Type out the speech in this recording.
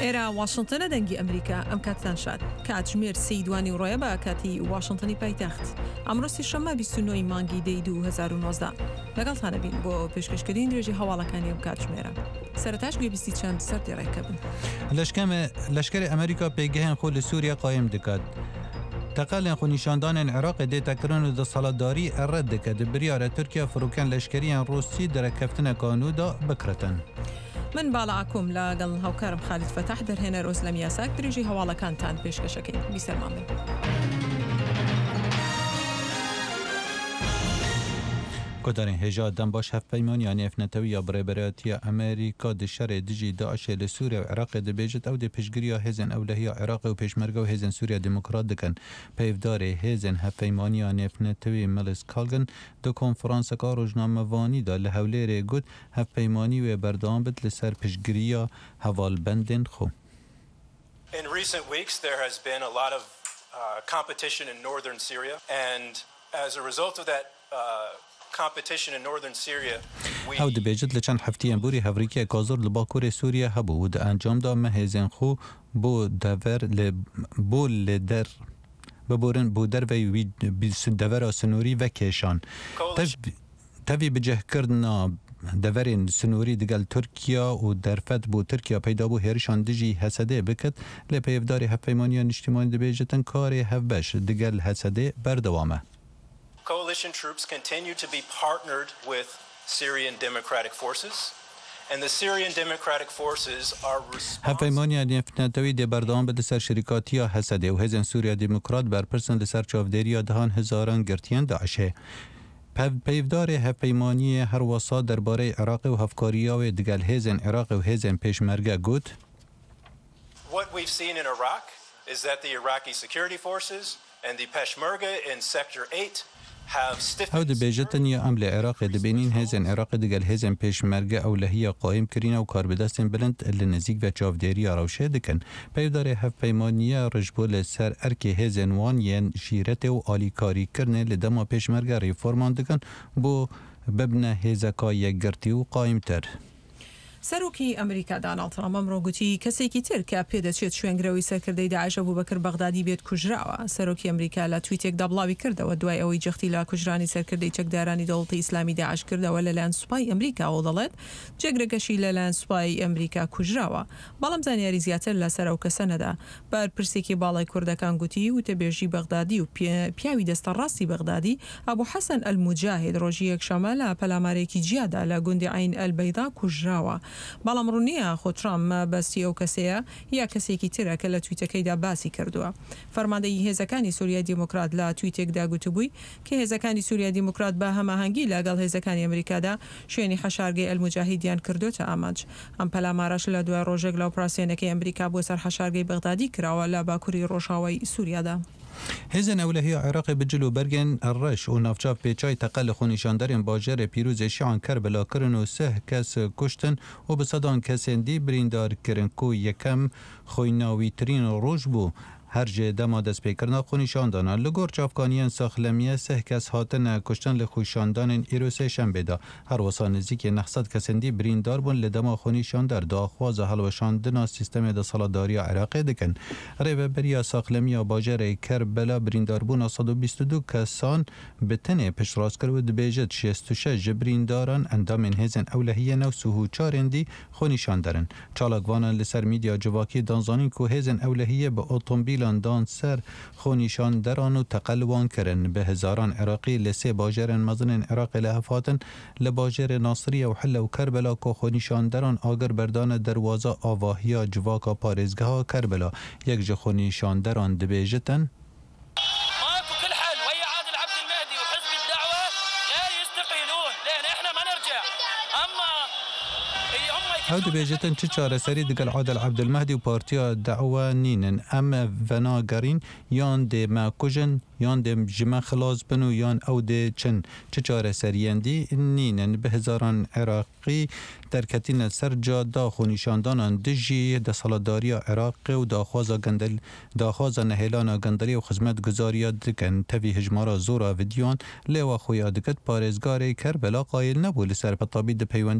ئێرە واشنتنە دەنگی ئەمریکا ئەم کاتتان شاد کاتژمێر سێی دوانیوڕۆیە بە کاتی واشنتنی پایتەخت ئەمڕۆ سێشەممە 29 ی مانگی دەی 2019 لەگەڵتانە بین بۆ پێشکەشکردنی درێژی هەواڵەکانی ئەم کاتژمێرە سەرەتاش گوێبیستی چەند سەردێڕێکە بن. لەشکەرێ ئەمریکا پێگەهێن خۆ لە سووریا قایم دکات. تەقەلێن خۆنیشاندانێن عێراقێ دێتە کرن و دەسەڵاتداری ڕەد دکەت. بریارە تورکیا فڕوکەن لەشکەریێن ڕووسی di ڕێککەفتنەکا نوو دا بکڕتن. من باڵا ئاکۆم لە گەڵ هاوکارم خالید فەتاح دەرهێنەر ئۆزلەم یاساک درێژەی هەواڵەکانتان پێشکەشەکەین. بیسەرمان بن. Guhdarên hêja dem baş hevpeymaniya nêvnetewî ya bi rêberatiya Amerîka di şerê dijî DAIŞ'ê li Sûriye û Iraqê dibêjit ew dê piştgiriya hêzên ewlehiya Iraqê û Pêşmerge û Hêzên Sûriya Demokrat dikin. Peyvdarê hêzên hevpeymaniya nêvnetewî Milis Kalgin di konferanseka rojnamevanî de li Hewlêrê got hevpeymanî wê berdewam bit li ser piştgiriya hevalbendên xwe. In recent weeks there has been a lot of competition in northern Syria and as a result of that competition in northern Syria we. Ew dibêjit li çend hefteyên borî hevrikiyeka zor li bakurê Sûriye hebû û di encam de me hêzên xwe bo dever li bo li der biborin bo derveyî wî devera sinorî vekêşan. Tevî bicihkirina deverên sinorî digel Tirkiya û derfet bo Tirkiya peyda bû hêrişan dijî HSD'ê biket, lê peyvdarê Hevpeymaniya Niştîmanî dibêjitin karê hevbeş digel HSD'ê berdewam e. Coalition troops continue to be partnered with Syrian Democratic Forces and the Syrian Democratic Forces are responsible. Hevpeymaniya Nêvnetewî dê berdewam be li ser şirîkatiya HSD'ê û Hêzên Sûriya Demokrat berpirs in li ser çavdêriya dehan hezaran girtiyên DAIŞ'ê. Peyvdarê hevpeymaniyê her wisa derbareyê Iraqê û hevkariya wê digel hêzên Iraqê û hêzên Pêşmerge got. What we've seen in Iraq is that the Iraqi security forces and the Peshmerga in Sector 8 have stiffened Ew dibêjitin ya em li Iraqê dibînîn hêzên Iraqê digel hêzên Pêşmerge ewlehiya qaîm kirîne û karbidestên bilind li nêzîk ve çavdêriya rewşê dikin. Peyvdarê hevpeymaniye rij bû li ser erkê hêzên wan yên şîretê û alîkarîkirinê li dema pêşmerge reforman dikin bo bibne hêzeka yekgirtî û qaîmtir. سەرۆکی ئەمریکا داناڵد ترەمپ ئەمڕۆ گوتی، کەسێکی تر کە پێدەچێت شوێنگرەوەی سەرکردەی داعش ئەبوبەکر بەغدادی بێت کوژراوە. سەرۆکی ئەمریکا لە تویتێکدا بڵاویکردەوە، دوای ئەوەی جەختی لە کوژرانی سەرکردەی چەکدارانی دەوڵەتی ئیسلامی داعش کردەوە لەلایەن سوپای ئەمریکاوە و دەڵێت، جێگرەکەشی لەلایەن سوپای ئەمریکا کوژراوە. بەڵام زانیاری زیاتر لەسەر ئەو کەسە نەدا. بەرپرسێکی باڵای کوردەکان گوتی، وتەبێژی بەغدادی و پیاوی دەستە ڕاستی بەغدادی، ئەبو حەسەن ئەلموجاهید ڕۆژی یەکشەممە لە پەلامارێکی جیادا لە گوندی عەین ئەلبەیضا کوژراوە. بەڵام ڕوون نییە ئاخۆ ترامپ مەبەستی ئەو کەسەیە یا کەسێکی ترە کە لە تویتەکەیدا باسی کردووە. فەرماندەیی هێزەکانی سوریای دیموکرات لە تویتێکدا گوتبووی کە هێزەکانی سوریای دیموکرات بە هەماهەنگی لەگەڵ هێزەکانی ئەمریکادا شوێنی حەشارگەی ئەلموجاهیدیان کردۆتە ئامانج. ئەم پەلامارەش لە دوای ڕۆژێک لە ئۆپراسیۆنەکەی ئەمریکا بۆ سەر حەشارگەی بەغدادی کراوە لە باکوری ڕۆژاوای سوریادا. هێزێن ئەولەهییا عێراقê bi cil û bergên reş û navçav pêçayî teqe li xwenîşanderên bajarê pîrozê Şian Kerbela kirin û sih kes kuştin û bi sedan kesên dî birîndar kirin ku yekem xwînawîtirîn roj bû Her ji dema destpêkirina xwenîşandanan li gor çavkaniyên saxlemiyê sih kes hatine kuştin li xwîşandanên îro sêşembê de. Her wisa nêzîkî 900 kesên dî birîndar bûn li dema xwenîşander daxwaza hilweşandina sîstemê desthilatdariya Iraqê dikin. Rêveberiya saxlemiya bajarê Kerbela birîndarbûna 122 kesan bi tenê piştrast kir û dibêjit 66 ji birîndaran endamên hêzên ewlehiyê ne û 34ên dî xwenîşander in. Çalakvanan li ser medya civakî dan zanîn ku hêzên ewlehiyê bi otomobîlan dan ser xwenîşanderan û teqe li wan kirin. Bi hezaran Iraqî li sê bajarên mezin ên Iraqê li hev hatin, li bajarê Nasiriye û Hille û Kerbela ku xwenîşanderan agir berdane derwaza avahiya civaka parêzgeha Kerbela. Yek ji xwenîşanderan dibêjitin. Ew dibêjitin çi çareserî digel Adil Ebdulmehdî û Partiya De'we nînin. Em venagerîn yan dê me kujin, yan dê ji me xilas bin û yan ew dê çin. Çi çareseriyên dî nînin. Bi hezaran Iraqî derketîne ser cada xwenîşandanan dijî desthilatdariya Iraqê û daxwaza gendel Daxwaza nehêlana gendelî û xizmetguzariya dikin. Tevî hejmara zor a vîdyoyan lê we xuya dikit parêzgarê Kerbela qayil nebû li ser petabî di peywendî.